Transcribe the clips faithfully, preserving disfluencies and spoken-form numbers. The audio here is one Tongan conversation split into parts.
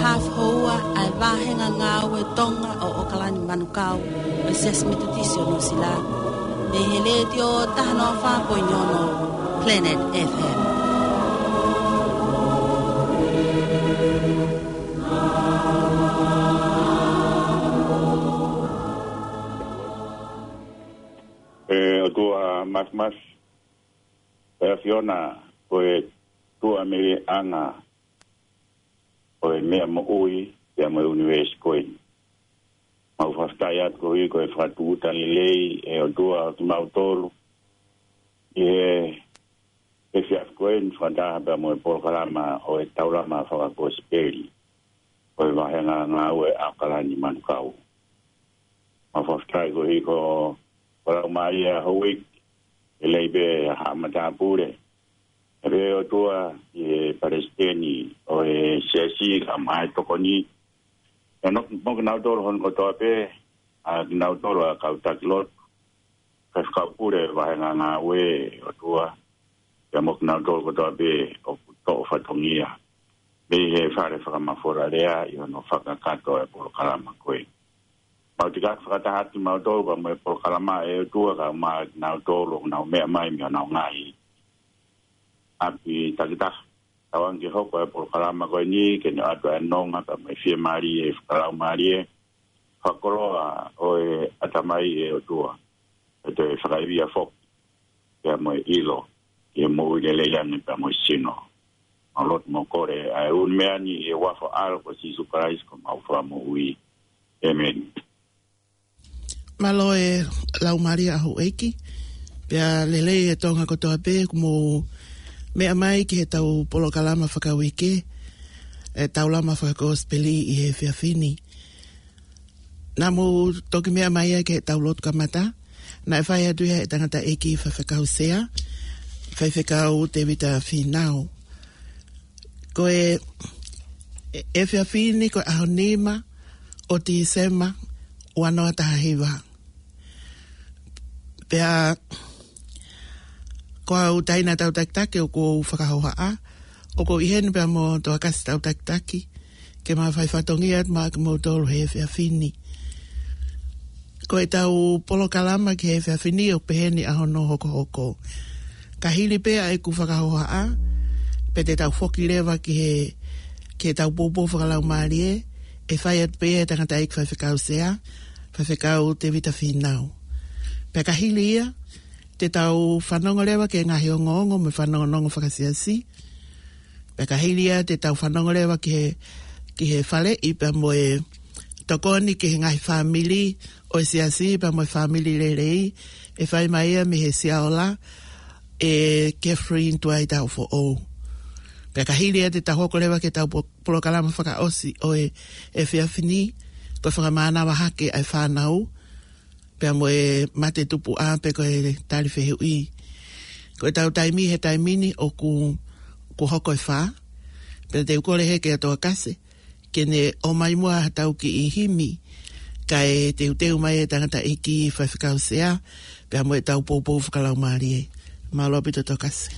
Haafe houa ʻa e vāhenga ngāue Tonga ʻo ʻOkalani Manukau ʻo e Siasi Metotisi ʻo Nuʻusila, mei he Letiō taha noa fā poini ono Planet F M. ʻE ʻOtua Māfimafi, ʻe ʻAfiona, ko e tuʻa mele ʻanga ʻo e meʻa moʻui pea mo e ʻunivēsi ko eni. Mau fakafetaʻi atu koeʻuhi ko e fakatūʻuta lelei ʻe ʻOtua ʻo kimautolu ʻi he efiafi ko eni fakataha pea mo e polokalama ʻo e taulama fakakosipeli ʻo e vāhenga ngāue ʻa ʻOkalani Manukau. Mau fakafetaʻi koeʻuhi ko, ko Laumālie Houʻeiki, ʻe lei pē ha matāpule. ʻE pē ʻOtua ʻi he palesiteni ʻo e siasi kae ʻumaʻā e tokoni. ʻE ʻoku, mo kinautolu hono kotoa pē, ʻa kinautolu ʻa e kau taki lotu, faifekau pule vāhenga ngāue ʻOtua, pea mo kinautolu kotoa pē ʻoku toʻo fatongia mei he fale fakamafola lea ʻi hono fakakakato e polokalama ko ē. Mau tiki fakataha atu kimautolu pea mo e polokalama ʻe ʻOtua kae ʻumaʻā kinautolu ʻoku nau meʻa mai mei honau ngaahi ʻapi takitaha. Tauange ke hoko e polokalama ko eni ke ne ʻoatu e nonga pea mo e fiemālie fakalaumālie, fakakoloa ʻo e ʻatamai ʻe ʻOtua, ʻe toe fakaivia foki pea mo e ʻilo ʻi he moʻui lelei ange pea mo e sino. Mau lotu mo kole ʻa e ʻū meʻa ni ʻi he huafa ʻo ho ʻAlo ko Sīsū Kalaisi ko homau Fakamoʻui. ʻĒmeni. Mālō e Laumālie ʻa Houʻeiki, pea lelei e Tonga kotoa pē ʻoku mou meʻa mai ki heʻetau polokalama fakauike, e taulama fakakosipeli ʻi he efiafi ni. Naʻa mou toki meʻa mai ia ki heʻetau lotu kamata, naʻe fai atu ia ʻe he tangataʻeiki faifekau sea, Faifekau Tēvita Fīnau. Ko e, e, efiafi ni ko e ʻaho nima ʻo Tīsema ua noa taha hiva. Pea ko au Taina Tautakitaki ʻoku ou fakahohaʻa, ʻoku ou ʻi heni pea mo Toakasi Tautakitaki, ke ma fai fatongia atu maʻa kimoutolu he efiafi ni. Ko ʻetau polokalama ki he efiafi ni ʻoku peheni ʻa hono hokohoko. Ka hili pē ʻa ʻeku fakahohaʻa, pea te tau foki leva ki he, ki heʻetau poupou fakalaumālie, ʻe fai atu pē ʻe he tangataʻeiki faifekau sea, Faifekau Tēvita Fīnau. Pea ka hili ia, te tau fanongo leva ki he ngaahi ongoongo mo e fanongonongo fakasiasi. Pea ka hili ia te tau fanongo leva ki he, ki he faleʻi pea mo e tokoni ki he ngaahi fāmili ʻo e siasi pea mo e fāmili lelei, ʻe fai mai ia mei he Siaola ʻe Catherine Tuaitaufoʻou. Pea ka hili ia te tau hoko leva ki heʻetau po-, polokalama fakaʻosi ʻo e efiafi ni, ko e fakamānava hake ʻa e fānau, pea mo e mate tupuʻa pe ko e tali fehuʻi. Ko ʻetau taimi he taimi ni ʻoku, ʻoku hoko e fā. Pea te u kole heni kia Toakasi ke ne ʻomai muʻa haʻatau kiʻi himi, kae teuteu mai e tangataʻeiki faifekau sea, pea mo ʻetau poupou fakalaumālie. Mālō ʻaupito Toakasi.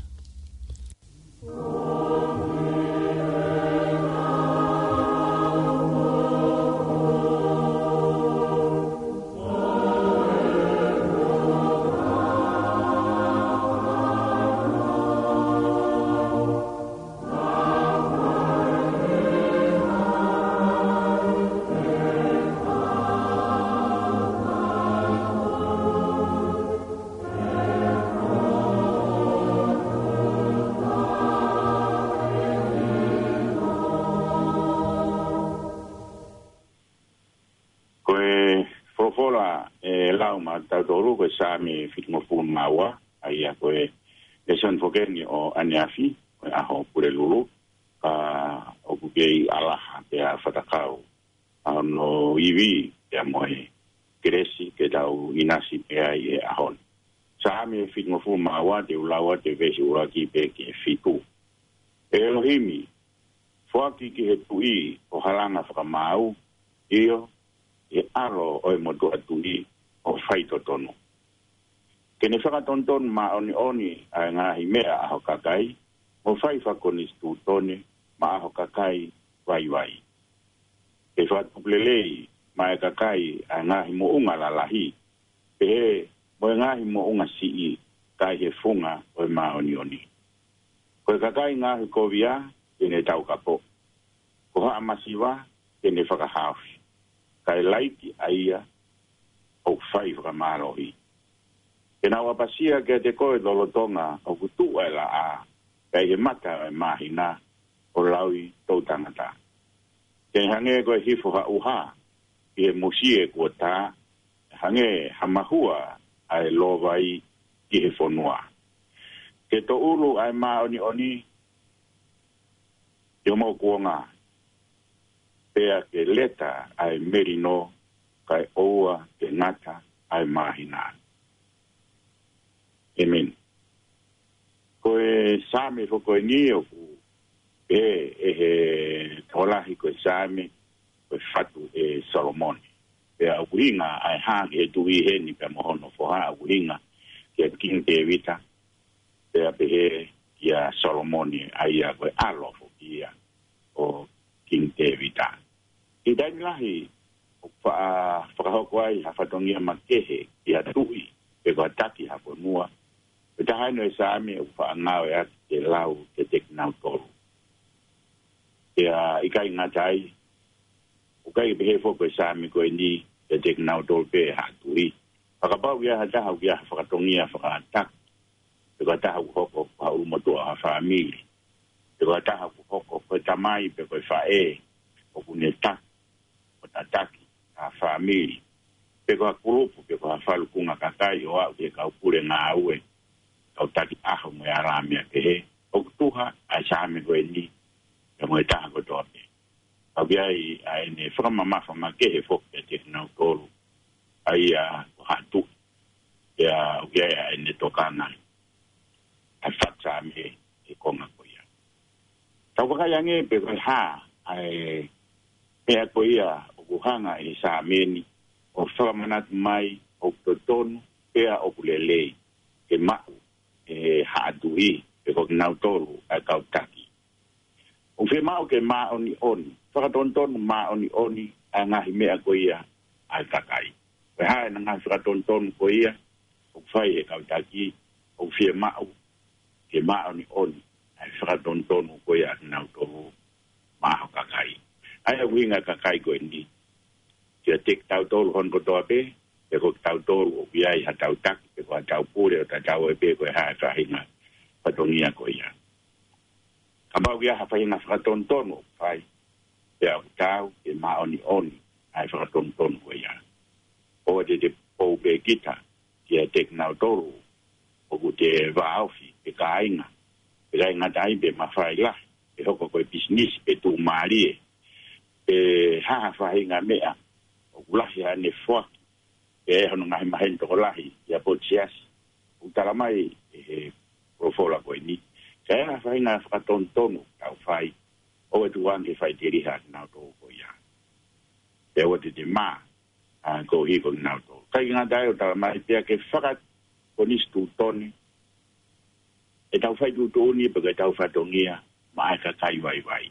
Ko e folofola ʻe lau maʻatautolu ko e Saame fitungofulu mā ua, ʻa ia ko e lēsoni foki eni ʻo ʻaneafi, ko e ʻaho Pulelulu, ka ʻoku kei ʻalaha pea fatakau ʻa hono ivi pea mo e kelesi ke tau ʻinasi pē ai he ʻaho ni. Saame fitungofulu mā ua, te u lau atu e veesi ʻuluaki pē ki he fitu. ʻE ʻElohimi, foaki ki he tuʻi ʻo halanga fakamaau, ʻio, ʻi he ʻalo ʻo e motuʻa tuʻi ʻo faitotonu. Ke ne fakatonutonu māʻoniʻoni ʻa e ngaahi meʻa ʻa ho kakai, mo fai fakakonisitūtone maʻa ho kakai vaivai. ke fakatupu lelei maʻa e kakai ʻa e ngaahi moʻunga lalahi, pehē mo e ngaahi moʻunga siʻi, ka ʻi he funga ʻo e māʻoniʻoni. Ko e kakai ngaohikovia te ne taukapo, ko haʻa masiva te ne fakahaofi, kae laiki ʻa ia ʻoku fai fakamālohi. Ke nau ʻapasia kiate koe lolotonga ʻoku tuʻu ʻa e laʻā, pea ʻi he mata ʻo e māhina ʻo lauʻi toʻutangata. Ke hangē ko e hifo ha ʻuha ʻi he musie kuo tā, hangē ha mahua ʻa e lōvai ki he fonua. Ke toʻulu ʻa e māʻoniʻoni ʻi homou kuonga, pea ke leta ʻa e melino, kae ʻoua ke ngata ʻa e māhina. ʻĒmeni. Ko e Saame foki eni ʻoku pehē ʻe he tokolahi ko e Saame ko e fatu ʻe Solomone. Pea ʻoku ʻuhinga ʻa e hā ki he tuʻi heni pea mo hono foha, ʻoku ʻuhinga kia Kingi Tēvita, pea pehē kia Solomone, ʻa ia ko e ʻalo foki ia ʻo Kingi Tēvita. ʻI he taimi lahi ʻoku faʻa fakahoko ai ha fatongia makehe ki ha tuʻi pe ko ha taki ha fonua, ko e taha eni ʻo e Saame ʻoku faʻa ngāueʻaki ke lau kiate kinautolu. Pea ʻikai ngata ai, ʻoku ʻikai pehē foki ko e Saame ko eni kiate kinautolu pē ha tuʻi. Ka kapau ʻoku ʻi ai ha taha ʻoku ʻi ai ha fatongia fakataki, pe ko ha taha ʻoku hoko ko ha ʻulumotuʻa ʻo ha fāmili, pe ko ha taha ʻoku hoko ko e tamai pe ko e faʻē ʻoku ne taki, ʻo tataki ha fāmili, pe ko ha kulupu pe ko ha falukunga kakai ʻo aʻu ki he kau pule ngāue, kau taki ʻaho mo e alā meʻa kehe, ʻoku tuha ʻa e Saame ko eni ia mo e taha kotoa pē. Ka ʻoku ʻi ai ʻa ʻene fakamamafa makehe foki kiate kinautolu ʻa ia ko ha tuʻi, pea ʻoku ʻi ai ʻa ʻene tokanga ʻa e fatu Saame ʻi he konga ko ia. Tau vakai ange pe ko e hā ʻa e meʻa ko ia ʻoku hanga ʻe he Saame ni ʻo fakamanatu mai ʻoku totonu pea ʻoku lelei ke maʻu ʻe he haʻa tuʻi pe ko kinautolu ʻa e kau taki. ʻOku fiemaʻu ke māʻoniʻoni, fakatonutonu māʻoniʻoni ʻa e ngaahi meʻa ko ia ʻa e kakai. Ko e hā ʻena ngaahi fakatonutonu ko ia ʻoku fai ʻe he kau taki? ʻOku fiemaʻu ke māʻoniʻoni ʻa e fakatonutonu ko ia ʻa kinautolu maʻa ho kakai. ʻA ia ʻoku ʻuhinga ʻa e kakai ko eni kiate kitautolu hono kotoa pē, pe ko kitautolu ʻoku ʻi ai ha tau taki pe ko ha tau pule ʻo tatau ai pē ko e hā e faʻahinga fatongia ko ia. Kapau ʻoku ʻi ai ha faʻahinga fakatonutonu ʻoku fai, pea ʻoku taau ke māʻoniʻoni ʻa e fakatonutonu ko ia. ʻOua te te pou pē kita kiate kinautolu ʻoku te vāofi pe kāinga, pe kāinga tai pe mafai lahi, pe hoko ko e pisinisi pe tuʻumālie, pe ha faʻahinga meʻa ʻoku lahi haʻane foaki, pe ʻi ai hono ngaahi maheni tokolahi ʻi ha potu siasi. ʻOku tala mai ʻe he folofola ko eni, ka ʻi ai ha faʻahinga fakatonutonu ʻoku tau fai, ʻoua ʻe tuku ange ke faʻiteliha kinautolu ko ia. Pea ʻoua te te mā ʻa e koeʻuhi ko kinautolu. ʻIkai ke ngata ai, ʻoku tala mai pea ke fakakonisitūtone ʻetau fai tuʻutuʻuni pe ko ʻetau fatongia maʻa e kakai vaivai.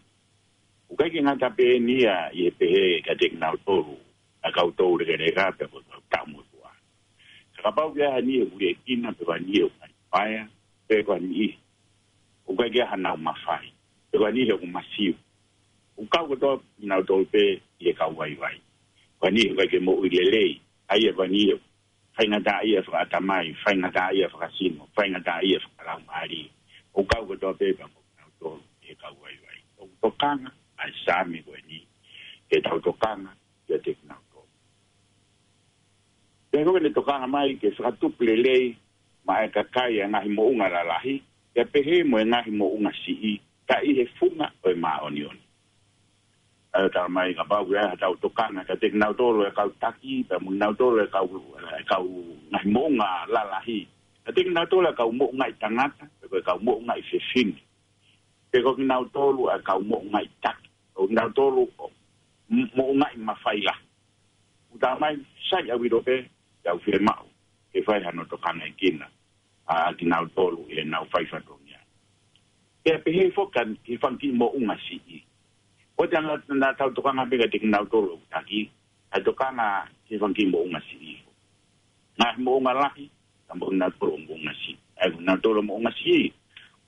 ʻOku ʻikai ke ngata pē eni ia ʻi he pehē kiate kinautolu ʻa e kau toulekeleka pe ko e kau taʻu motuʻa. Ka kapau ʻoku ʻi ai ha niʻihi ʻoku liʻekina pe ko ha niʻihi ʻoku ngali paea, pe ko ha niʻihi ʻoku ʻikai ke ʻi ai hanau mafai, pe ko ha niʻihi ʻoku masiu, ʻoku kau kotoa kinautolu pē ʻi he kau vaivai. Ko ha niʻihi ʻoku ʻikai ke moʻui lelei, ʻa ia ko ha niʻihi ʻoku faingataʻaʻia fakaʻatamai, faingataʻaʻia fakasino, faingataʻaʻia fakalaumālie, ʻoku kau kotoa pē pea mo kinautolu ʻi he kau vaivai. ʻOku tokanga ʻa e Saame ko eni ke tau tokanga kiate kinautolu. Pea ko ʻene tokanga mai ke fakatupu lelei maʻa e kakai ʻa e ngaahi moʻunga lalahi, pea pehē mo e ngaahi moʻunga siʻi, ka ʻi he funga ʻo e māʻoniʻoni. ʻA ia ʻoku tala mai kapau ʻoku ʻi ai ha tau tokanga kiate kinautolu ʻa e kau taki, pea mo kinautolu ʻa e kau, ʻa e kau ngaahi moʻunga lalahi, kiate kinautolu ʻa e kau moʻungaʻi tangata, pe ko e kau moʻungaʻi fefine, pe ko kinautolu ʻa e kau moʻungaʻi taki, ʻo kinautolu ʻoku moʻungaʻi mafai lahi. ʻOku tala mai sai ʻaupito pē, ʻoku fiemaʻu ke fai hano tokangaʻi kinautolu ʻa kinautolu ʻi heʻenau fai fatongia. Pea pehē foki ki he fanga kiʻi moʻunga siʻi. ʻOku ʻikai ke na, na tau tokanga pē kiate kinautolu ʻoku taki, ʻa e tokanga ki he fanga kiʻi moʻunga siʻi. Ngaahi moʻunga lahi, ka moʻunga tolo moʻunga siʻi. ʻA e kinautolu moʻunga siʻi,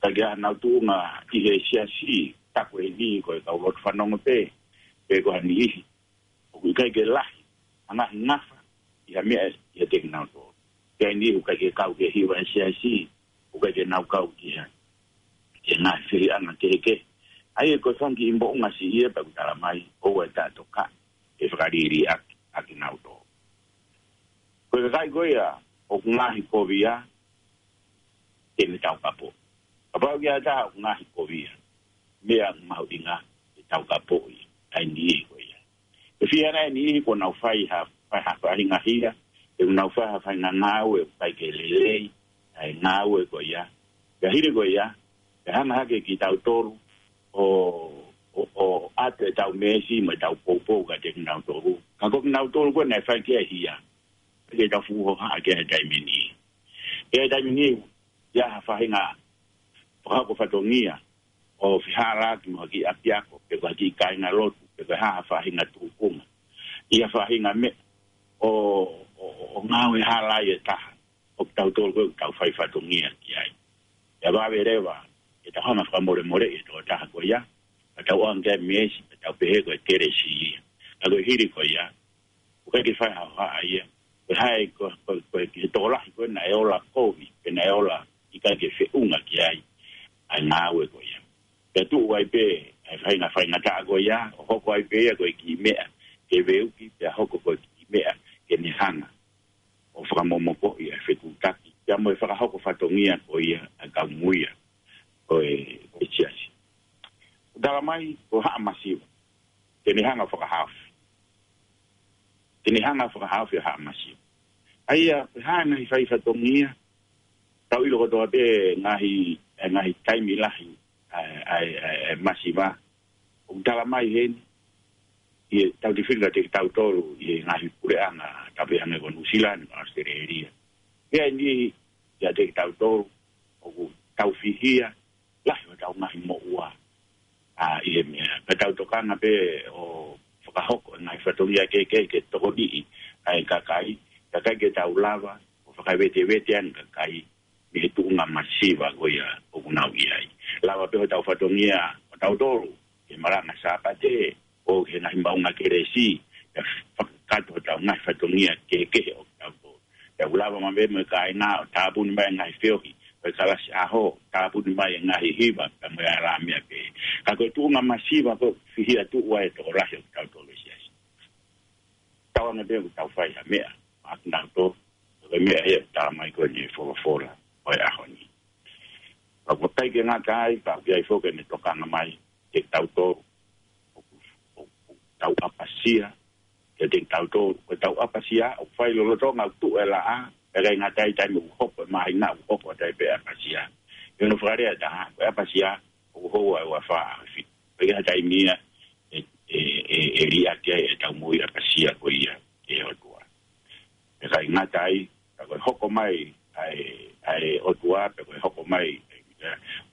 ka ke ʻa nau tuʻunga ʻi he siasi, taku eni ko e kau lotu fanongo pē, pe ko ha niʻihi. ʻOku ʻikai ke lahi, ʻa e ngaahi ngafa, ʻi ha meʻa, ʻiate kinautolu. Pea eni ʻoku ʻikai ke kau ki he hiva ʻa e siasi, ʻoku ʻikai ke nau kau ki ha, ki he ngaahi fehiʻanga kehekehe. ʻA ia ko e fanga kiʻi moʻunga siʻi ia pea ʻoku tala mai, ʻoua ʻe taʻetokaʻi, ʻe fakaliliʻaki, ʻa kinautolu. Ko e kakai ko ia, ʻoku ngaahi kovia, te ne taukapo. Kapau ʻoku ʻi ai ha taha ʻoku ngaahi kovia, meʻa mahuʻinga, ʻe taukapo ia, ʻa e niʻihi ko ia. Ko e fiha ʻa e niʻihi kuo nau fai ha, fai ha faʻahinga hia, ʻe nau fai ha faʻahinga ngāue ʻoku ʻikai ke lelei, ʻa e ngāue ko ia. Pea hili ko ia, ʻe hanga hake kitautolu, ʻo, ʻo, ʻo ʻoatu ʻetau meesi, mo ʻetau poupou kiate kinautolu. Ka ko kinautolu ko ē naʻe fai ki ai e hia. Ke tau fuʻu hohaʻa ki ai he taimi ni. He taimi ni, ʻi ai ha faʻahinga fakahoko fatongia, ʻo fehālaaki mo ha kiʻi ʻapiako, pe ko ha kiʻi kāinga lotu, pe ko ha faʻahinga tūkunga. ʻI ha faʻahinga meʻa, ʻo, ʻo, ʻo, ʻo ngāue hala ai e taha, ʻo kitautolu ko ē ʻoku tau fai fatongia ki ai. ʻE vave leva, ʻe tau hanga fakamolemoleʻi e tokotaha ko ia, ka tau ʻoange ki ai e meesi, ka tau pehē ko e kelesi ia. Ka ko e hili ko ia, ʻoku ʻikai ke fai ha hohaʻa ia. Ko e hā e ko, ko, ko e ki he tokolahi ko ē naʻe ola kovi, pe naʻe ola ʻikai ke feʻunga ki ai, ʻa e ngāue ko ia. Pea tuʻu ai pē, ʻa e faʻahinga faingataʻa ko ia, ʻo hoko ai pē ia ko e kiʻi meʻa, ke veuki, pea hoko ko e kiʻi meʻa, ke ne hanga ʻo fakamomokoʻi ʻa e fetuʻutaki, pea mo e fakahoko fatongia ko ia, ʻa e kau muia, ko e, ko e siasi. Tala mai, ko haʻa masiva. Te ne hanga fakahaofi. Te ne hanga fakahaofi ʻa haʻa masiva. ʻA ia, pe hā e ngaahi fai fatongia, tau ʻilo kotoa pē ngaahi, e ngaahi taimi lahi, ʻa e, ʻa e, ʻa e, ʻa e masiva. ʻOku tala mai heni, ʻi he tau tifili kiate kitautolu, ʻi he ngaahi puleʻanga, tau pehē ange ko Nuʻusila ni, Australia. Pea eni, kiate kitautolu, ʻoku tau fihia, lahi ʻo tau ngaahi moʻua. ʻA, ʻi he meʻa, ka tau tokanga pē ʻo fakahoko e ngaahi fatongia kehekehe ke tokoniʻi ʻa e kakai, kae ʻikai ke tau lava ʻo fakavetevete ange kakai, mei he tuʻunga masiva ko ia ʻoku nau ʻi ai. Lava pē hotau fatongia ʻo tautolu, ke malanga Sāpate, ʻo ke ngaahi maʻunga kelesi, ke fakakakato hotau ngaahi fatongia kehekehe ʻo tautolu. Ke u lava mai mo e kāinga ʻo tāpuni mai ngaahi feohi, ʻo e kalasi ʻaho, tāpuni mai ngaahi hiva, ka mo e ʻalā meʻa pē. Ka ko e tuʻunga masiva ko e fihia tuʻu ai e tokolahi ʻo tautolu e siasi. Tau anga pē ʻoku tau fai ha meʻa, ʻa kinautolu, ko e meʻa ia ʻoku tala mai ko eni e folofola, ʻo e ʻaho ni. Ka ʻoku ʻikai ke ngata ai, ka ʻoku ʻi ai foki ʻene tokanga mai, ke tautolu, ʻo, ʻo, ʻo tau ʻapasia, ke te tautolu, ko tau ʻapasia, ʻoku fai lolotonga ʻoku tuʻu e laʻā, ʻikai ngata ai taimi ʻoku hopo e māhina, ʻoku hopo atu ai pē ʻapasia. ʻI hono fakalea ʻe taha, ko e ʻapasia, ʻoku houa ʻe uafā ʻaho fitu. ʻIkai ha taimi ia, ʻe, ʻe, ʻe, ʻe liʻaki ai ʻetau moʻui ʻapasia ko ia, ʻe ʻOtua. ʻIkai ngata ai, ka ko e hoko mai, ʻa e, ʻa e ʻOtua, pe ko e hoko mai,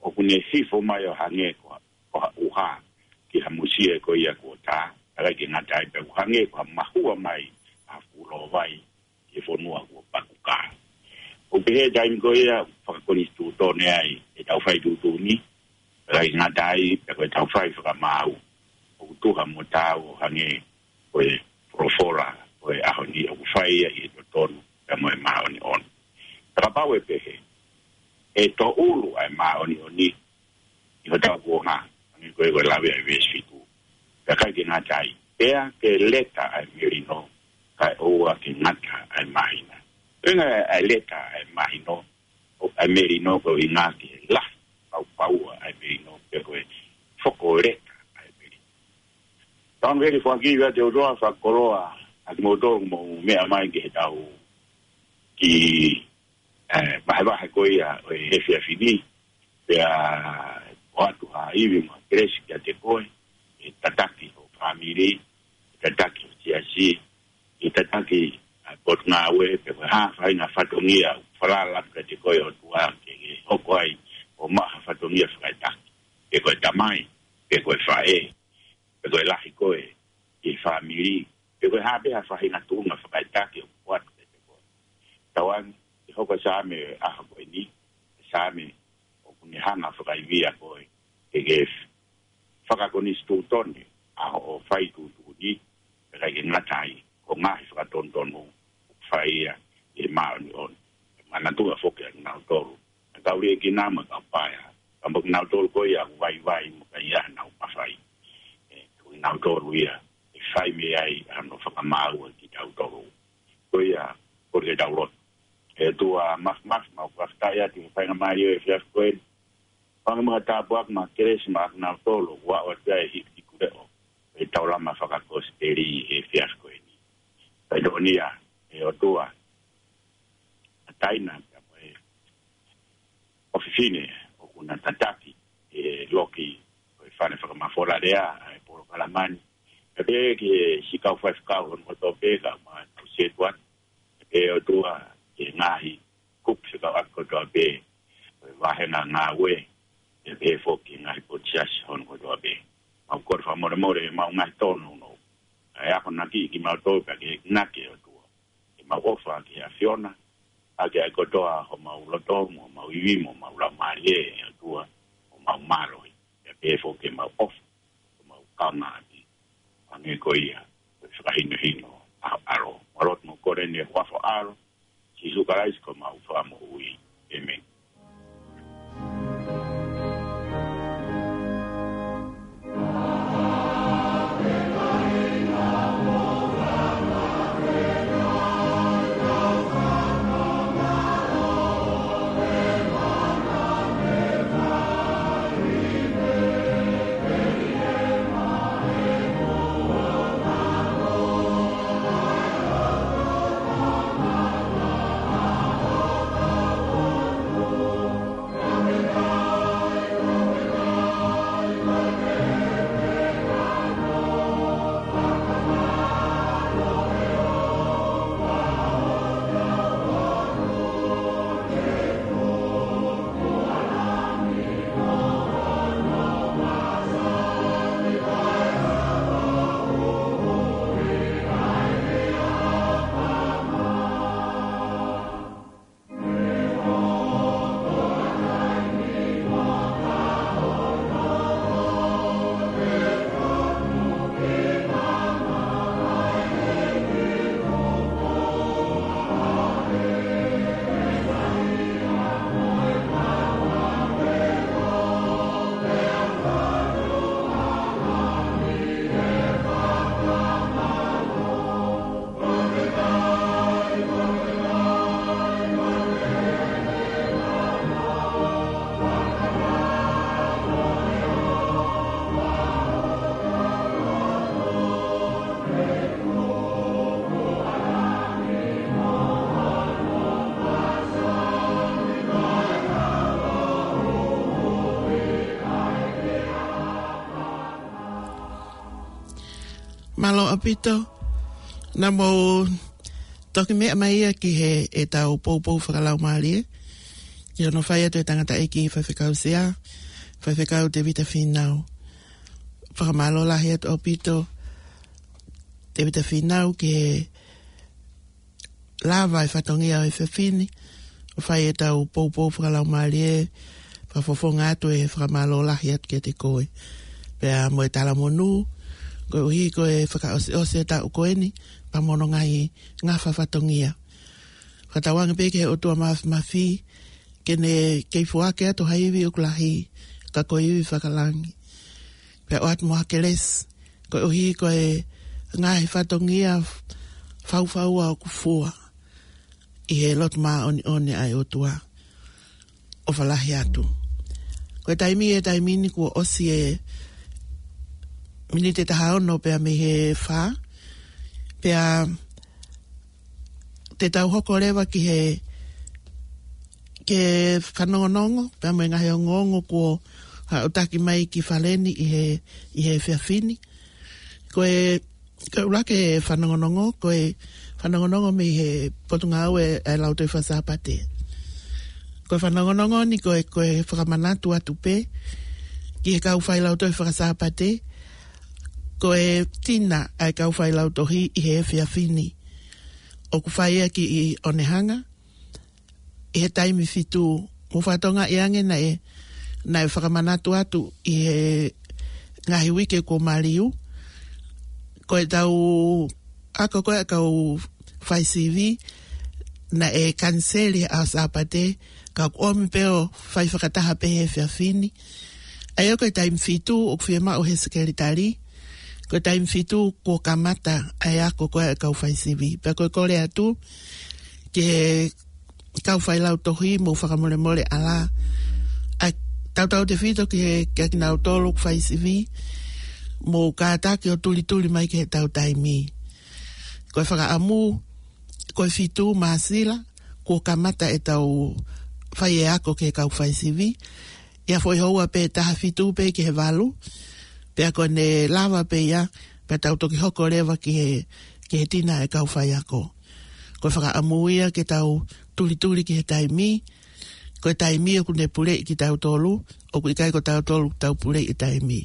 ʻoku ne hifo mai ʻo hangē ko, ko ha ʻuha, ki ha musie ko ia kuo tā, ʻikai ke ngata ai pē ʻoku hangē ko ha mahua mai, ʻa fulo vai, ki he fonua kuo paku kā. ʻOku pehē taimi ko ia, fakakonisitūtone ai, ʻetau fai tuʻutuʻuni, ʻikai ngata ai, pe ko ʻetau fai fakamaau, ʻoku tuha mo taau ʻo hangē, ko e folofola, ʻo e ʻaho ni ʻoku fai ia ʻi he totonu, pea mo e māʻoniʻoni. Ka kapau ʻe pehē, ʻe tōʻulu ʻa e māʻoniʻoni, ʻi hotau kuonga, hangē ko e ko e lave ʻa e veesi fitu. Pea ʻikai ke ngata ai, pea ke leta ʻa e melino, kae ʻoua ke ngata ʻa e māhina. Ko e ʻuhinga ʻa e leta ʻa e māhino, ʻo ʻa e melino ko e ʻuhinga ke lahi, pau pau ʻa e melino, pe ko e foko leta ʻa e melino. Tau ʻoange foaki kiate ʻOtua fakakoloa, ʻa kimoutolu mou meʻa mai ki he tau ki, ē, vahevahe ko ia ʻo e efiafi ni, pea ʻoatu ha ivi mo e kelesi kiate koe, ʻe tataki ho fāmili, ʻe tataki ho siasi, ʻe tataki ʻa e potungāue, pe ko e hā faʻahinga fatongia, falala atu kiate koe ʻOtua ke, ke hoko ai, ʻo maʻu ha fatongia fakaetaki, pe ko e tamai, pe ko e faʻē. ha faʻahinga tuʻunga fakaʻitaki ʻoku ʻoatu kiate koe. Tauange, ʻe hoko e Saame ʻaho ko eni, Saame ʻoku ne hanga fakaivia koe, ke ke fakakonisitūtone ʻa hoʻo fai tuʻutuʻuni, pea ʻikai ke ngata ai, ko e ngaahi fakatonutonu ʻoku fai ia ʻi he māʻoniʻoni. Manatuʻi foki ʻa kinautolu, ʻa e kau liʻekina mo e kau paea, ka mo kinautolu ko ia ʻoku vaivai mo ka ʻi ai haʻanau mafai. ʻE, ko kinautolu ia ʻe fai mei ai hano fakamaau ʻa kitautolu. Ko ia, kole ke tau lotu. ʻE ʻOtua Māfimafi, mau fakafetaʻi atu he faingamālie ʻo e efiafi ko eni. Hangē mo ha tāpuaki mo e kelesi maʻa kinautolu ʻoku aʻu atu ai e hikihiku leʻo ʻo e taulama fakakosipeli he efiafi ko eni. Pea ʻi he ʻaho ni, ʻe ʻOtua, ʻa Taina pea mo e ʻofefine ʻoku na tataki e loki ʻo e fale fakamafola lea ʻa e polokalama ni. Pea pehē ki he siʻi kau faifekau hono kotoa pē, kae ʻumaʻā ʻa e kau sētuata, pea pehē ʻOtua ki he ngaahi kupu fekauʻaki kotoa pē ʻo e vāhenga ngāue, pea pehē foki ki he ngaahi potu siasi hono kotoa pē. Mau kole fakamolemole ʻemau ngaahi tōnounou, kae akonaki kimautolu pea ke enginaki ʻOtua, ke mau ʻofa ki he ʻAfiona, ʻaki ʻa e kotoa homau loto mo homau ivi mo homau laumālie, ʻe ʻOtua, ʻo mau mālohi. Pea pehē foki ke mau ʻofa, ʻo mau kaungāʻapi, hangē ko ia ʻoku fakahinohino ʻa ho ʻAlo. Mau lotu mo kole ni ʻi he huafa ʻo ho ʻAlo, Sīsū Kalaisi ko homau Fakamoʻui. ʻĒmeni. Mālō ʻaupito, naʻa mou toki meʻa mai ia ki he ʻetau poupou fakalaumālie, ki hono fai atu ʻe he tangataʻeiki faifekau sea, Faifekau Tēvita Fīnau. Fakamālō lahi atu ʻaupito, Tēvita Fīnau, ki he lava e fatongia ʻo e efiafi ni ʻo fai ʻetau poupou fakalaumālie, fakafofonga atu e fakamālō lahi atu kiate koe. Pea mo e talamonū, koeʻuhi ko e fakaʻosiʻosi e taʻu ko eni, pea mo hono ngaahi ngafa fatongia. Fakatauange pē ki he ʻOtua Māfimafi, ke ne kei foaki atu ha ivi ʻoku lahi, ka ko e ivi fakalangi. Pea ʻoatu mo ha kelesi, koeʻuhi ko e ngaahi fatongia faufaua ʻoku fua ʻi he lotu māʻoniʻoni ʻa e ʻOtua. ʻOfa lahi atu. Ko e taimi, e taimi ni kuo ʻosi e miniti ʻe taha ono pea mei he fā. Pea te tau hoko leva ki he, ki he fanongonongo, pea mo e ngaahi ongoongo kuo haʻutaki mai ki fale ni ʻi he, ʻi he efiafi ni. Ko e, ko e ʻuluaki e fanongonongo, ko e fanongonongo mei he Potungāue ʻa e Lautohi Fakasāpate. Ko e fanongonongo ni ko e, ko e fakamanatu atu pē ki he kau fai Lautohi Fakasāpate, Ko e tina ʻa e kau failautohi ʻi he efiafi ni ʻoku fai ʻaki ʻi ʻOnehanga, ʻi he taimi fitu. Mou fakatokangaʻi ange naʻe, naʻe fakamanatu atu ʻi he ngaahi uike kuo maliu, ko ʻetau ako ko ē ʻa e kau faisivi naʻe kaniseli he ʻaho Sāpate, ka ʻoku ʻomi pē ʻo fai fakataha pē he efiafi ni. ʻA ia ko e taimi fitu ʻoku fiemaʻu he sekelitali, ko e taimi fitu kuo kamata ʻa e ako ko ē ʻa e kau faisivi. Pea ko e kole atu ki he kau failautohi, mou fakamolemole ʻalā, ʻa e tautautefito ki he, kia kinautolu ʻoku faisivi, mou kātaki ʻo tulituli mai ki heʻetau taimi. Ko e fakaʻamu, ko e fitu Māsila kuo kamata ʻetau fai e ako ki he kau faisivi. ʻI ha foʻi houa pē taha fitu pē ki he valu, pea ko ʻene lava pē ia, pea tau toki hoko leva ki he, ki he tina ʻa e kau faiako. Ko e fakaʻamu ia ke tau tulituli ki he taimi, ko e taimi ʻoku ne puleʻi kitautolu, ʻoku ʻikai ko tautolu tau puleʻi e taimi.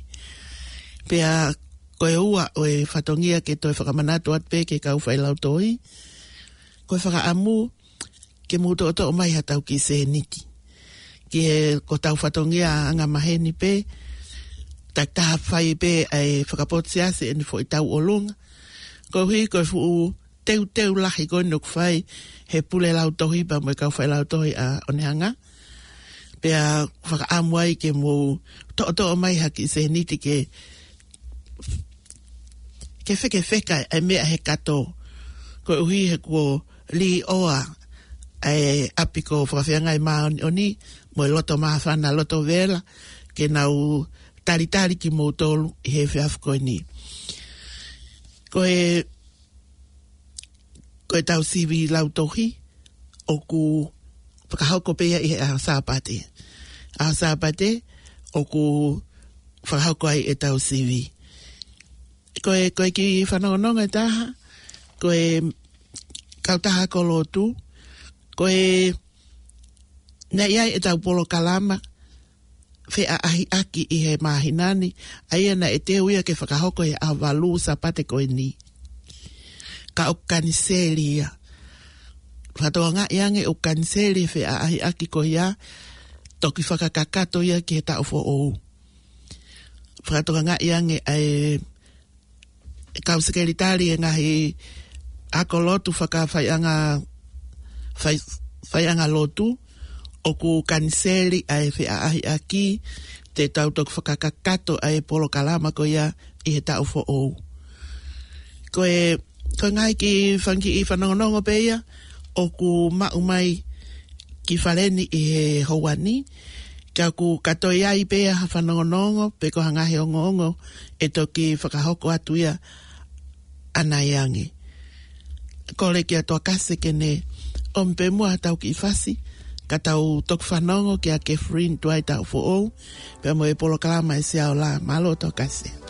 Pea ko e ua ʻo e fatongia ke toe fakamanatu atu pē ki he kau failautohi, ko e fakaʻamu ke mou toʻotoʻo mai haʻatau kiʻi sēniti. Ki he, ko hotau fatongia angamaheni pē, takitaha fai pē ʻa e fakapotu siasi ʻene foʻi tauʻolunga. Koeʻuhi ko e fuʻu teuteu lahi ko eni ʻoku fai he pule lautohi pea mo e kau failautohi ʻa ʻOnehanga. Pea fakaʻamu ai ke mou toʻotoʻo mai ha kiʻi sēniti ke, ke fekefeka ʻa e meʻa he kato. Koeʻuhi he kuo līʻoa ʻa e ʻapi ko Fakafeangai Māʻoniʻoni mo e loto māfana, loto vela, ke nau talitali kimoutolu ʻi he efiafi ko eni. Ko e, ko ʻetau sivi lautohi ʻoku fakahoko pē ia ʻi he ʻaho Sāpate. ʻAho Sāpate ʻoku fakahoko ai ʻetau sivi. Ko e, ko e kiʻi fanongonongo ʻe taha, ko e kautaha ako lotu, ko e, naʻe ʻi ai ʻetau polokalama feʻaʻahiʻaki ʻi he māhina ni, ʻa ia naʻe teu ia ke fakahoko he ʻaho valu Sāpate ko eni. Ka ʻoku kaniseli ia. Fakatokangaʻi ange ʻoku kaniseli e feʻaʻahiʻaki ko ia, toki fakakakato ia ki he taʻu foʻou. Fakatokangaʻi ange ʻa e kau sekelitali e ngaahi ako lotu fakafaiʻanga, fai-, faiʻanga lotu, ʻoku kaniseli ʻa e feʻaʻahiʻaki, te tau toki fakakakato ʻa e polokalama ko ia ʻi he taʻu foʻou. Ko e, ko e ngaahi kiʻi fanga kiʻi fanongonongo pē ia ʻoku maʻu mai ki fale ni ʻi he houa ni, ka ʻoku kātoi ai pē ha fanongonongo, pe ko ha ngaahi ongoongo ʻe toki fakahoko atu ia ʻanai ange. Kole kia Toakase ke ne ʻomi pē muʻa haʻatau kiʻi fasi, ka tau toki fanongo kia Catherine Tuaitaʻufoʻou, pea mo e polokalama ʻa e Sea Ola. Mālō Toakase.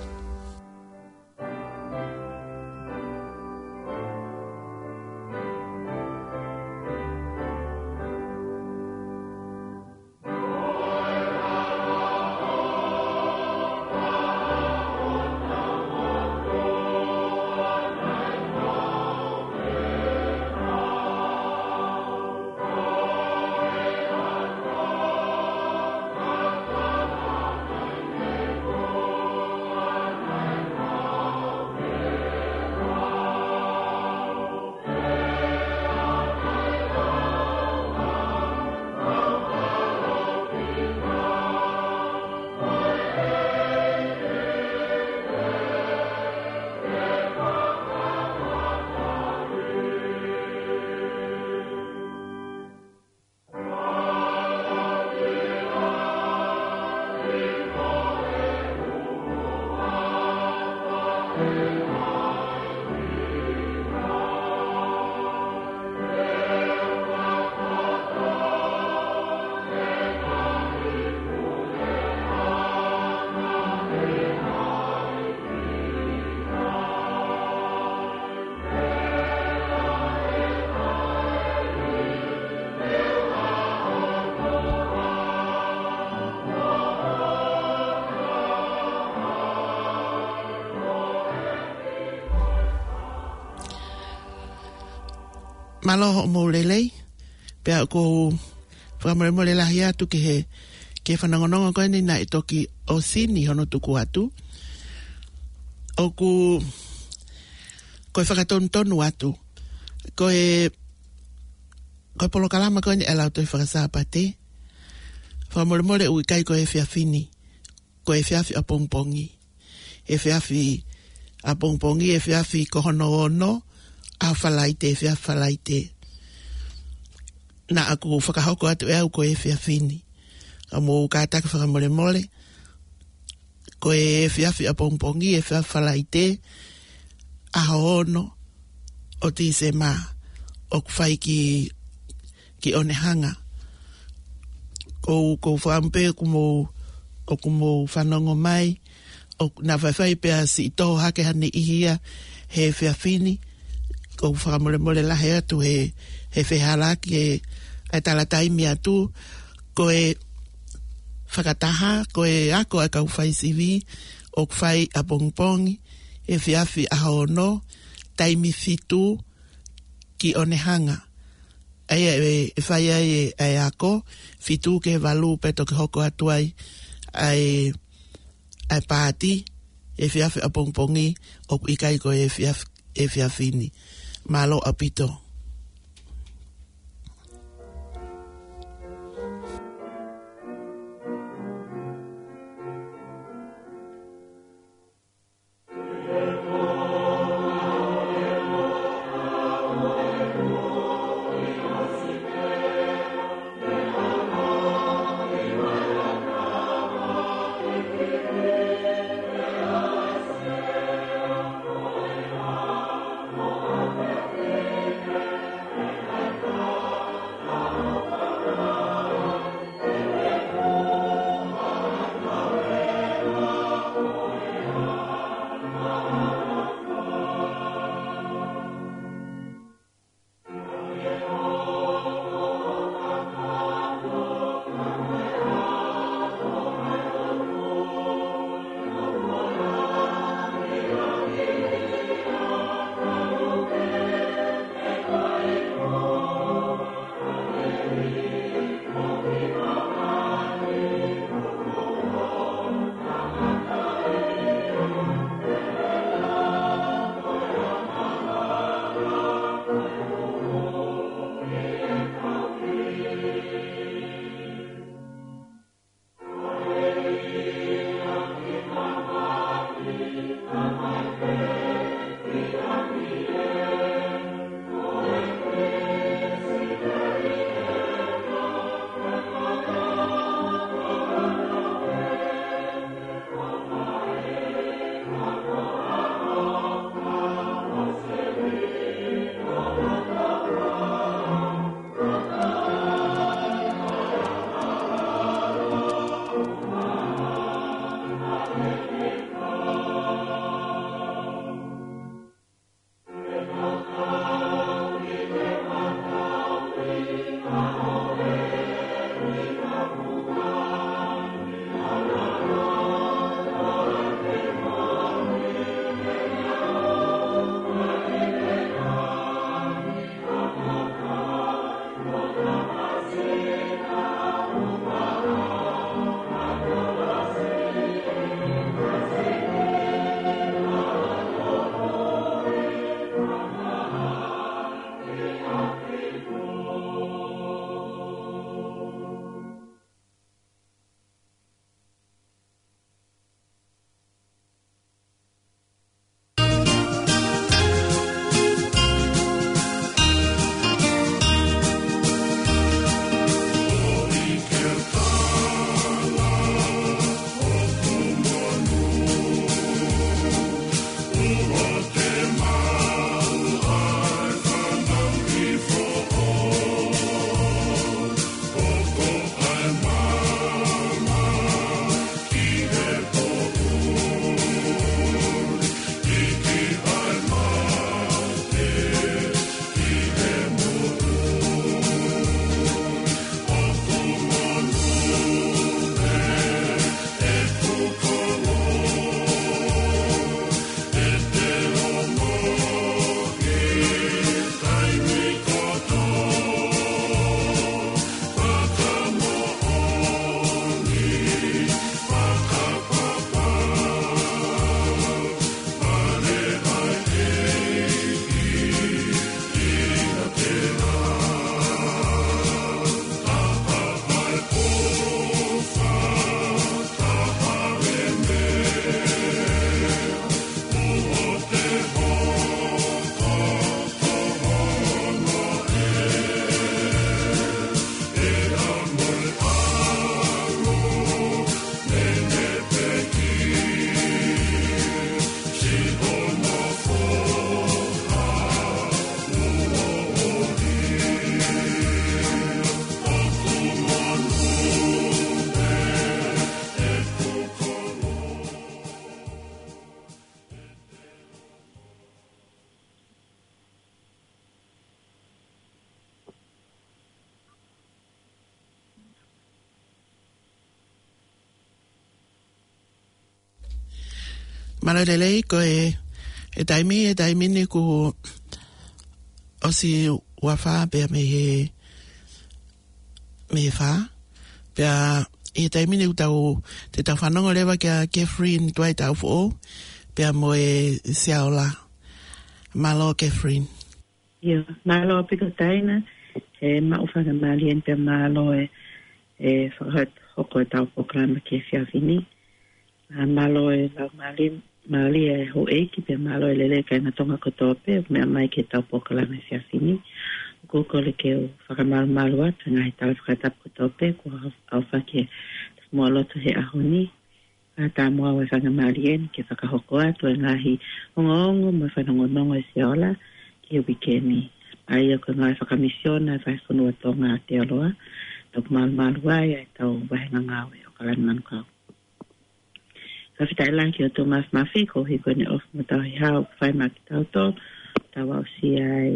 Mālō hoʻomou lelei, pea ʻoku ou fakamolemole lahi atu ki he, ki he fanongonongo ko eni naʻe toki ʻosi ni hono tuku atu. ʻOku, ko e fakatonutonu atu. Ko e, ko e polokalama ko eni ʻa e Lautohi Fakasāpate. Fakamolemole ʻoku ʻikai ko e efiafi ni. Ko e efiafi ʻapongipongi. Efiafi ʻapongipongi, efiafi ko hono ono, ʻa Falaite, efiafi Falaite. Naʻa ku fakahoko atu ʻe au ko e efiafi ni. Ka mou kātaki fakamolemole. Ko e efiafi ʻapongipongi, efiafi Falaite, ʻaho ono ʻo Tīsema, ʻoku fai ki, ki Onehunga. Ko u, ko u fakaʻamu pē ʻoku mou, ʻoku mou fanongo mai, ʻoku na faifai pea siʻi toho hake ha niʻihi ia he efiafi ni, ko u fakamolemole lahi atu he, he fehālaaki he, ʻa e tala taimi atu, ko e fakataha, ko e ako ʻa e kau fai sivi, ʻoku fai ʻapongipongi, efiafi ʻaho ono, taimi fitu ki Onehunga. ʻA ia ʻe, ʻe fai ai e, e ako, fitu ki he valu pea toki hoko atu ai, ʻa e, ʻa e paati, efiafi ʻapongipongi, ʻoku ʻikai ko e efiafi, efiafi ni. Mālō ʻaupito. Mālō e lelei, ko e, e taimi, e taimi ni kuo ʻosi ua fā pea mei he, mei he fā. Pea ʻi he taimi ni ʻoku tau, te tau fanongo leva kia Catherine Tuaitaufoʻou, pea mo e Siaola. Mālō Catherine. Ia, mālō ʻaupito Taina, he maʻu faingamālie eni pea mālō e, e fakahoko ʻetau polokalama ki he efiafi ni. ʻA, mālō e laumālie, mālie e houʻeiki pea mālō e lelei kāinga Tonga kotoa pē, meʻa mai ki heʻetau polokalama efiafi ni. ʻOku ou kole ke u fakamalumalu atu he ngaahi tala fakatapu kotoa pē, kuo ʻaofaki e moʻua lotu he ʻaho ni. ʻA, tā mo au e faingamālie eni ke fakahoko atu e ngaahi ongoongo mo e fanongonongo e Siaola ki he uike ni. ʻA ia ko e ngāue fakamisiona e Fai Fonua Tonga ʻAotearoa, ʻoku malumalu ai ʻa ʻetau vāhenga ngāue ʻo ʻAokalani Manukau. Fakafetaʻi lahi ki he ʻOtua Māfimafi, koeʻuhi ko ʻene ʻofa mo e tauhi hao ʻoku fai maʻa kitautolu, tau aʻusia ai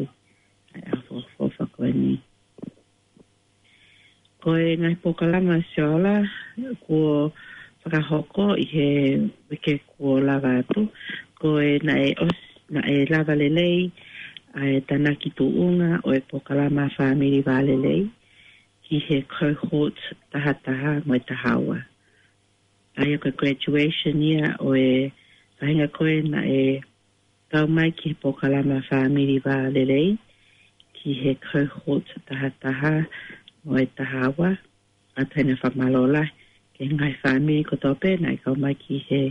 ʻa e ʻaho fakaʻofoʻofa ko eni. Ko e ngaahi polokalama Siaola kuo fakahoko ʻi he uike kuo lava atu, ko e naʻe ʻos-, naʻe lava lelei ʻa e tānaki tuʻunga ʻo e polokalama Fāmili Vālelei ki he cohort taha taha mo e taha ua. ʻA ia ko e graduation ia ʻo e faʻahinga ko ē naʻe kau mai ki he polokalama Fāmili Vālelei ki he cohort taha taha mo e taha ua, ʻa ia ʻoku ou fakamālō lahi ki he ngaahi fāmili kotoa pē naʻe kau mai ki he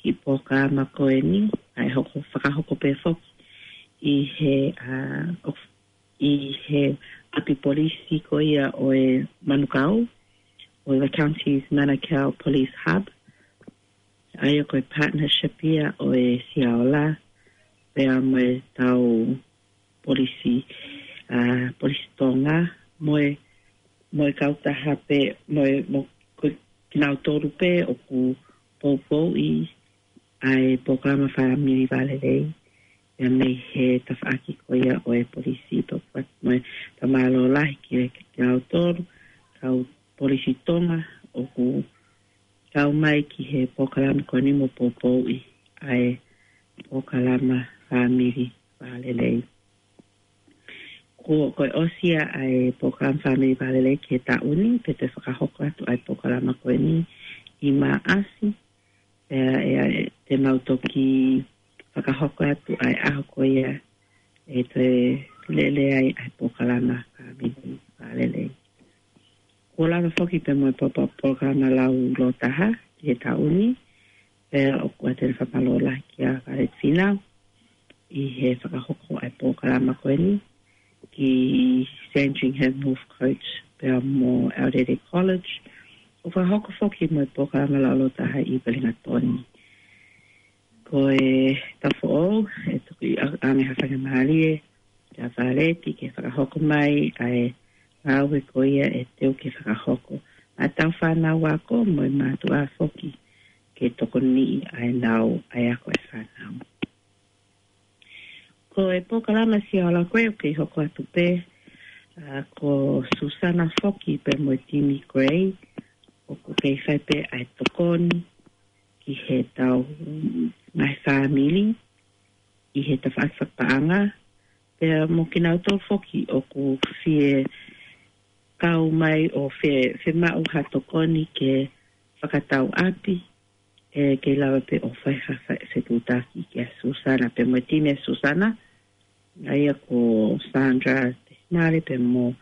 kiʻi polokalama ko eni, ʻa e hoko, fakahoko pē foki ʻi he, ʻa, ʻo ʻi he ʻapi polisi ko ia ʻo e Manukau, ʻo e Counties Manukau Police Hub. ʻA ia ko e partnership ia ʻo e Siaola, pea mo e tau polisi, ʻa, polisi Tonga, mo e, mo e kautaha pē, mo e, mo ko kinautolu pē ʻoku poupouʻi ʻa e polokalama Fāmili Vālelei, ia mei he tafaʻaki ko ia ʻo e polisi. Pea ʻoku ou fakamālō lahi ki he, kinautolu, kau polisi Tonga, ʻoku kau mai ki he polokalama ko eni mo poupouʻi ʻa e polokalama Fāmili Vālelei. Ko, ko e ʻosi ia ʻa e polokalama Fāmili Vālelei ki he taʻu ni, pea te fakahoko atu ʻa e polokalama ko eni ʻi Maʻasi, pea ʻe, ʻe te mau toki fakahoko atu ʻa e ʻaho ko ia ʻe toe lele ai ʻa e polokalama Fāmili Vālelei. Kuo lava foki pē mo e polokalama Lau Lōtaha ki he taʻu ni, pea ʻoku ou talitali fakamālō lahi kia Violet Finau ʻi he fakahoko ʻa e polokalama ko eni ki Sandringham, Northcote, pea mo Aorere College. ʻOku fakahoko foki mo e polokalama Lau Lōtaha ʻi Wellington. Ko e taʻu foʻou, ʻe toki ʻa-, ʻoange ha faingamālie kia Violet ke fakahoko mai ʻa e ngāue ko ia ʻe teu ke fakahoko maʻa ʻetau fānau ako mo e mātuʻa foki ke tokoniʻi ʻa e lau ʻa e ako ʻa e fānau. Ko e polokalama Siaola ko ē ʻoku kei hoko atu pē, ʻa, ko Susana foki pea mo Timmy Gray, ʻoku kei fai pē ʻa e tokoni ki he tau ngaahi fāmili ʻi he tafaʻaki fakapaʻanga, pea mo kinautolu foki ʻoku fie kau mai ʻo fe-, fiemaʻu ha tokoni ke fakatau ʻapi, ʻe kei lava pē ʻo fai ha fe-, fetuʻutaki kia Susana pea mo e timi ʻa Susana, ʻa ia ko Sandra Tesimale pea mo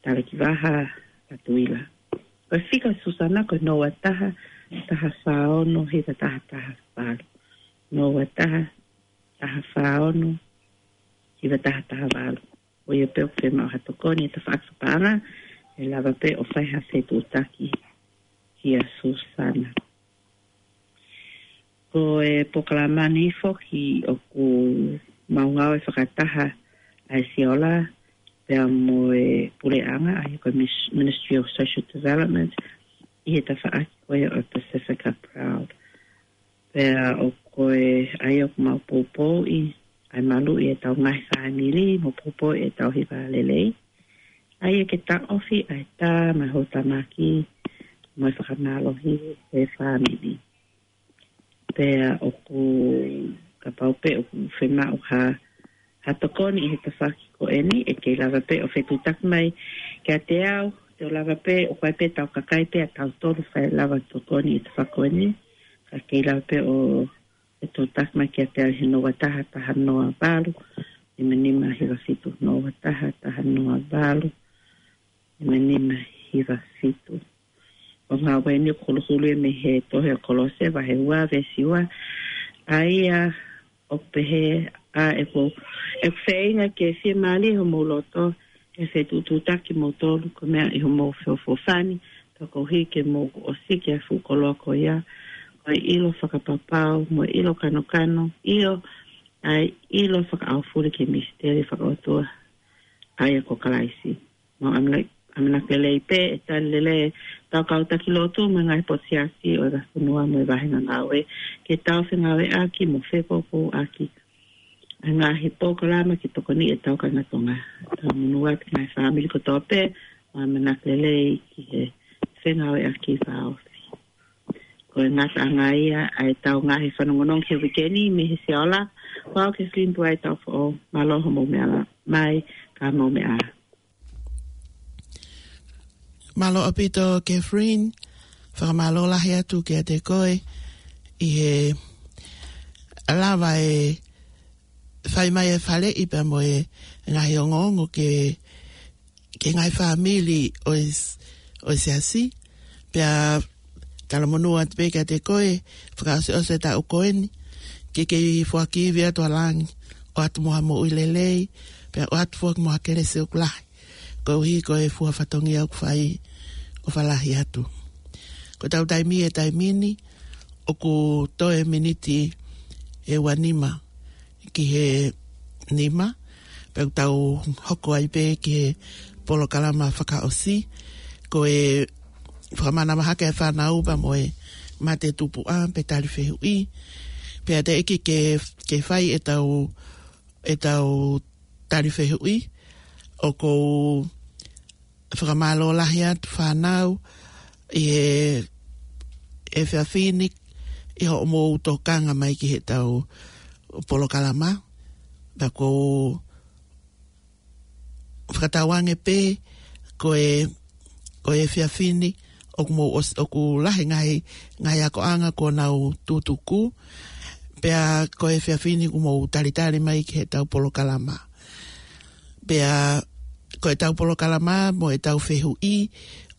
Talekivaha Latuila. Ko e fika ʻo Susana ko e noa taha, taha fā ono, hiva taha taha valu. Noa taha, taha fā ono, hiva taha taha valu. Ko ia pē ʻoku fiemaʻu ha tokoni ʻi he tafaʻaki fakapaʻanga, ʻe lava pē ʻo fai ha fetuʻutaki kia Susana. Ko e polokalama ni foki ʻoku mau ngāue fakataha ʻa e Siaola pea mo e puleʻanga, ʻa ia ko e Mis-, Ministry of Social Development, ʻi he tafaʻaki ko ia ʻo e Pasifika Proud. Pea ʻoku ʻi ai ʻoku mau poupouʻi ʻa e maluʻi ʻetau ngaahi fāmili, mo poupouʻi ʻetau hiva lelei. ʻA ia ke taʻofi ʻa e tā mo e houtamaki mo e fakamālohi ʻo e fāmili. Pea ʻoku kapau pē ʻoku fiemaʻu ha, ha tokoni ʻi he tafaʻaki ko eni, ʻe kei lava pē ʻo fetuʻutaki mai kiate au, te u lava pē, ʻoku ʻi ai pē ʻetau kakai pē ʻatautolu ʻe lava tokoni ʻi he tafaʻaki ko eni, ka kei lava pē ʻo fetuʻutaki mai kiate au he noa taha, taha noa valu, nima nima hiva fitu, noa taha, taha noa valu, nima nima hiva fitu. ʻOku ngāueʻaki eni ʻoku huluhulu ia mei he tohi ʻa Kolose vahe ua veesi ua. ʻA ia ʻoku pehē, ʻa ʻeku, ʻeku feinga ke fiemālie homou loto, ke fetuʻutaki moutolu, ko e meʻa ʻi homou feʻofoʻofani, pea koeʻuhi ke mou ʻosi ki he fuʻu koloa ko ia, ko e ʻilo fakapapau, mo e ʻilo kanokano, ʻio, ʻa e ʻilo fakaʻaufuli ki he misiteli fakaʻotua, ʻa ia ko Kalaisi. Mau ʻamana-, ʻamanaki lelei pē ʻe tali lelei ʻetau kau taki lotu mo e ngaahi potu siasi ʻo e vahefonua mo e vāhenga ngāue, ke tau fengāueʻaki mo fepoupouʻaki ʻa e ngaahi polokalama ke tokoniʻi ʻetau kāinga Tonga. Tau monū atu ki he ngaahi fāmili kotoa pē, mau ʻamanaki lelei ki he fengāueʻaki fakaʻosi. Ko e ngataʻanga ia ʻa ʻetau ngaahi fanongonongo he uike ni mei he Sea Ola. Ko au Kathleen Tuai Taufo, mālō hoʻomou meʻa mai, ka mou meʻa ā. Mālō ʻaupito Kathleen, fakamālō lahi atu kiate koe ʻi he lava ʻo fai mai e faleʻi pea mo e ngaahi ongoongo ki he, ki he ngaahi fāmili ʻo e s-, ʻo e siasi. Pea talamonū atu pē kiate koe, fakaʻosiʻosi e taʻu ko eni, ke kei foaki ivi atu ʻa langi, ʻoatu mo ha moʻui lelei, pea ʻoatu foki mo ha kelesi ʻoku lahi, koeʻuhi ko e fua fatongia ʻoku fai, ʻofa lahi atu. Ko ʻetau taimi he taimi ni, ʻoku toe miniti ʻe ua nima ki he nima, pea ʻoku tau hoko ai pē ki he polokalama fakaʻosi, ko e fakamanavahē ʻa e fānau pea mo e mate tupuʻa pe tali fehuʻi, pea teʻeki ke, ke fai ʻetau, ʻetau tali fehuʻi, ʻoku ou fakamālō lahi atu fānau ʻi he, he efiafi ni ʻi hoʻomou tokanga mai ki heʻetau polokalama. Pea ʻoku ou fakatauange pē ko e, ko e efiafi ni ʻoku mou ʻos-, ʻoku lahi ngaahi, ngaahi akoʻanga kuo nau tutuku. Pea ko e efiafi ni ʻoku mou talitali mai ki heʻetau polokalama. Pea ko ʻetau polokalama mo ʻetau fehuʻi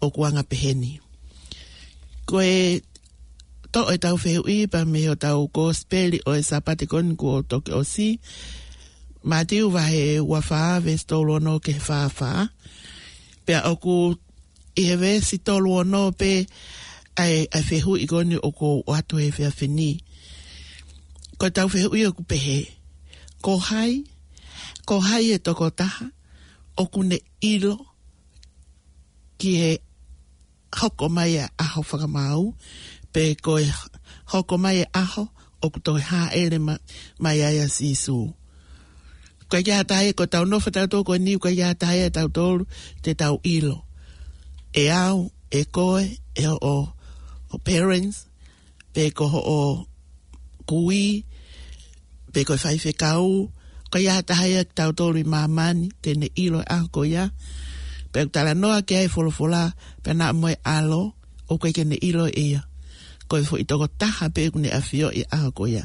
ʻoku anga pehē ni. Ko e toʻo ʻetau fehuʻi pea mei hotau kosipeli ʻo e Sāpate ko eni kuo toki ʻosi, Mātiu vahe ua fā veesi tolu ono ki he fā fā. Pea ʻoku ʻi he veesi tolu ono pē ʻa e, ʻa e fehuʻi ko eni ʻoku ou ʻoatu he efiafi ni. Ko ʻetau fehuʻi ʻoku pehē: Ko hai, ko hai e tokotaha ʻoku ne ʻilo ki he hoko mai e ʻaho fakamaau, pe ko e hoko mai e ʻaho ʻoku toe hāʻele ma-, mai ai ʻa Sīsū? ʻOku ʻikai ha taha ia, ko ʻetau nofo tautolu ko eni, ʻoku ʻikai ha taha ia ʻe tautolu te tau ʻilo. ʻE au, ʻe koe, ʻe hoʻo, hoʻo parents, pe ko hoʻo kui, pe ko e faifekau, ʻoku ʻikai ha taha ia kitautolu ʻi māmani te ne ʻilo e ʻaho ko ia. Pea ʻoku talanoa ki ai e folofola, pea naʻa mo e ʻAlo, ʻoku ʻikai ke ne ʻilo ʻe ia. Ko e foʻi tokotaha pē ʻoku ne ʻafioʻi e ʻaho ko ia.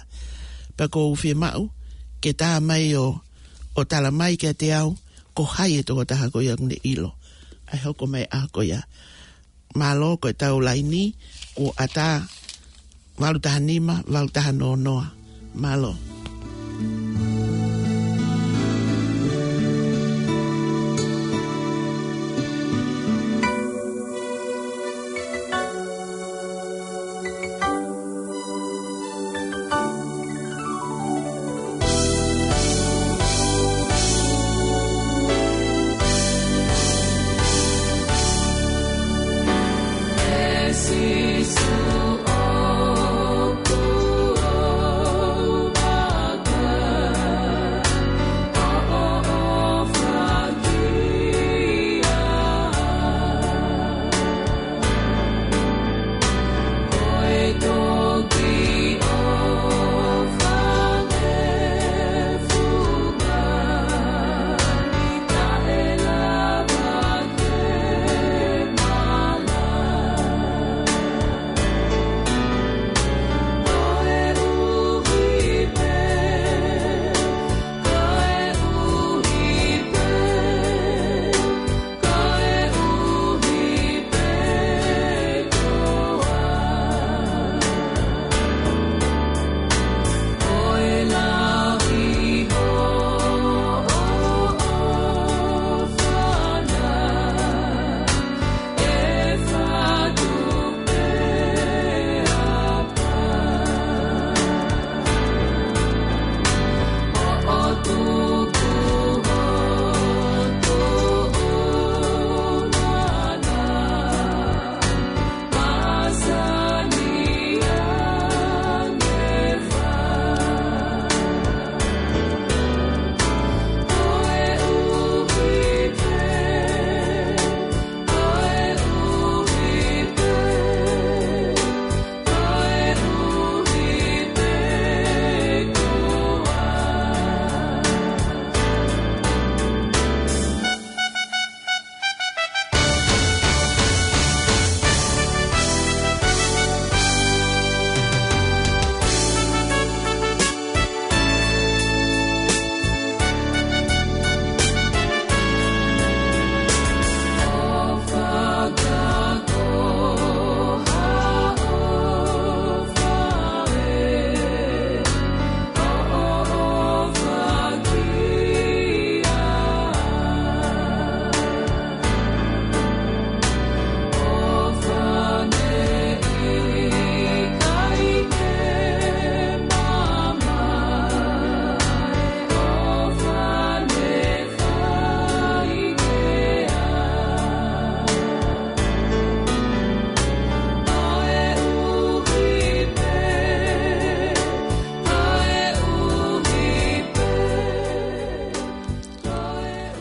Pea ʻoku ou fiemaʻu ke tā mai ʻo, ʻo tala mai kiate au, ko hai e tokotaha ko ia ʻoku ne ʻilo ʻa e hoko mai e ʻaho ko ia. Mālō, ko ʻetau laini kuo ʻatā, valu taha nima, valu taha noa noa. Mālō.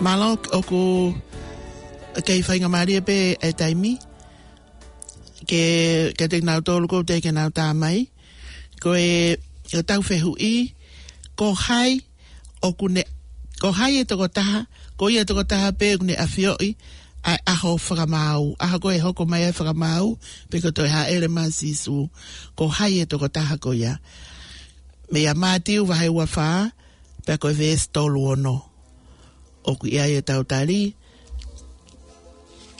Mālō, ʻoku kei faingamālie pē e taimi ke, ke te nau tolu ko te ke nau tā mai. Ko e, ko e tau fehuʻi, ko hai ʻoku ne, ko hai e tokotaha, ko ia tokotaha pē ʻoku ne ʻafioʻi ʻa e ʻaho fakamaau, ʻaho ko ē hoko mai ai e fakamaau, pe ko e toe hāʻele mai ʻa Sīsū, ko hai e tokotaha ko ia. Meia Mātiu vahe ua fā, pea ko e veesi tolu ono. ʻOku ʻi ai e tau tali,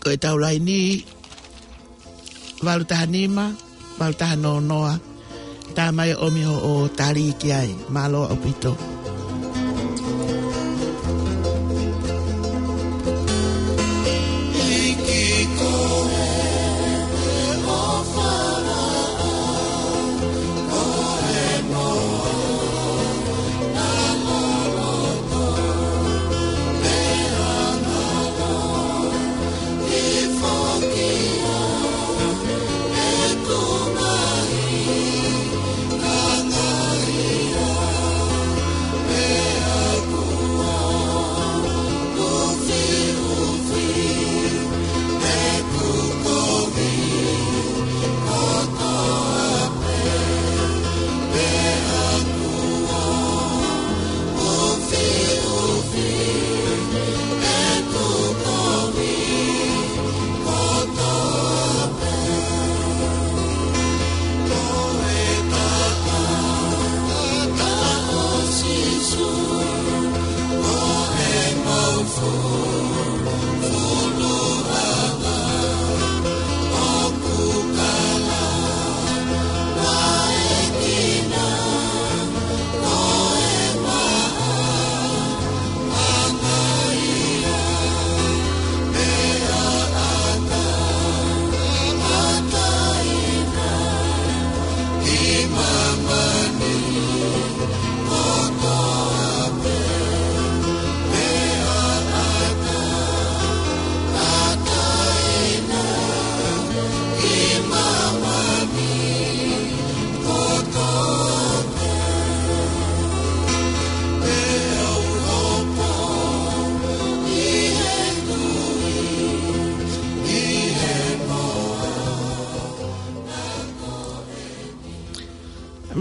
ko e tau laini, valu taha nima, valu taha noa noa, tā mai ʻo ʻomi hoʻo tali ki ai, mālō ʻaupito.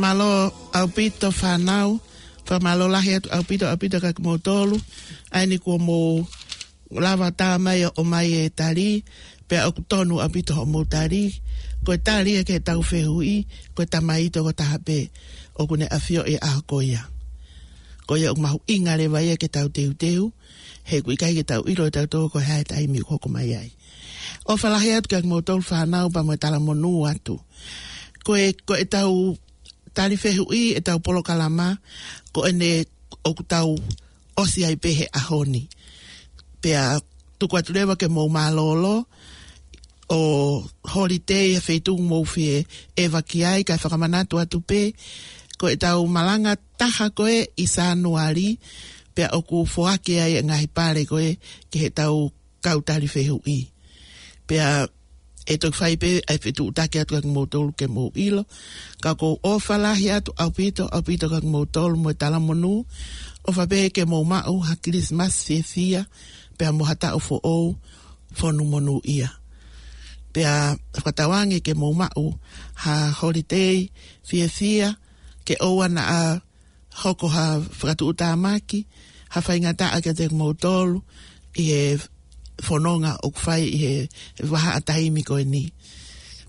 Mālō ʻaupito fānau, fakamālō lahi atu ʻaupito, ʻaupito kia kimoutolu, ʻa eni kuo mou lava tā mai ʻo ʻomai e tali, pea ʻoku tonu ʻaupito hoʻomou tali. Ko e tali ia ki he tau fehuʻi, ko e tamai tokotaha pē ʻoku ne ʻafioʻi e ʻaho ko ia. Ko ia ʻoku mahuʻinga leva ia ke tau teuteu, he ʻoku ʻikai ke tau ʻilo ʻe tautolu ko e hā e taimi ʻoku hoko mai ai. ʻOfa lahi atu kia kimoutolu fānau pea mo e talamonū atu. Ko e, ko e tau tali fehuʻi, e tau polokalama, ko ʻene ʻoku tau ʻosi ai pē he ʻaho ni. Pea tuku atu leva ke mou mālōlō, ʻo holiday he feituʻu mou fie ʻeva ki ai, kae fakamanatu atu pē, ko e tau malanga taha ko ē ʻi Sānuali, pea ʻoku foaki ai e ngaahi pale ko ē ki he tau kau tali fehuʻi. Pea ʻe toki fai pē ʻa e fetuʻutaki atu kia kimoutolu ke mou ʻilo. Ka ʻoku ou ʻofa lahi atu ʻaupito, ʻaupito kia kimoutolu mo e talamonū. ʻOfa pē ke mou maʻu ha Kilisimasi fiefia, pea mo ha taʻu foʻou fonu monūʻia. Pea fakatauange ke mou maʻu ha holiday fiefia, ke ʻoua naʻa hoko ha fakatuʻutāmaki, ha faingataʻa kiate kimoutolu ʻi he fononga ʻoku fai ʻi he vahaʻa taimi ko eni.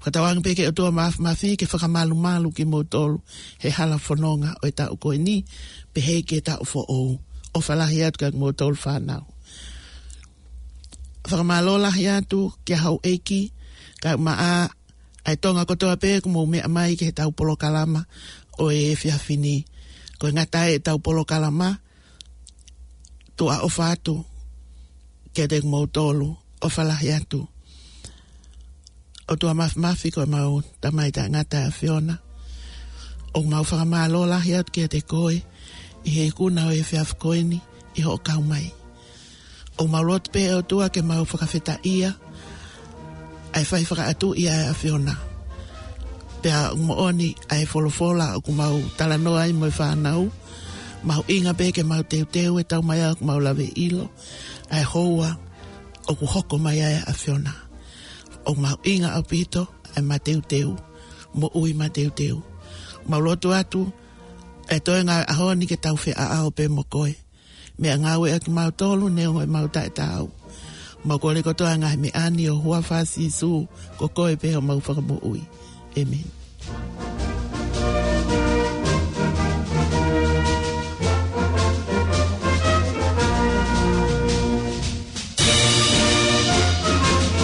Fakatauange pē ke ʻOtua Māfimafi ke fakamalumalu kimoutolu he hala fononga ʻo e taʻu ko eni, pehē ki he taʻu foʻou. ʻOfa lahi atu kia kimoutolu fānau. Fakamālō lahi atu kia Houʻeiki, kae ʻumaʻā ʻa e Tonga kotoa pē ʻoku mou meʻa mai ki he tau polokalama ʻo e efiafi ni. Ko e ngata e tau polokalama, tuʻa ʻofa atu kiate kimoutolu, ʻofa lahi atu. ʻOtua Māfimafi ko ʻemau Tamai taʻengata ʻa e ʻAfiona, ʻoku mau fakamālō lahi atu kiate koe ʻi he ikuna ʻo e efiafi ko eni ʻi hoʻo kau mai. ʻOku mau lotu pē ʻOtua ke mau fakafetaʻia ʻa e fai fakaʻatuʻi ʻa e ʻAfiona. Pea ʻoku moʻoni ʻa e folofola ʻoku mau talanoa ai mo e fānau, Mahuʻinga pē ke mau teuteu e tau mai ʻoku mau lave ʻilo ʻa e houa ʻoku hoko mai ai ʻa e ʻAfiona. ʻOku mahuʻinga ʻaupito ʻa e mateuteu, moʻui mateuteu. Mau lotu atu ʻa e toenga ʻaho ni ke tau feʻaʻao pē mo koe. Meʻangāue ʻaki mautolu neongo ʻemau taʻetaau. Mau kole kotoa ngaahi meʻa ni ʻo huafa Sīsū, ko koe pē homau Fakamoʻui. ʻĒmeni.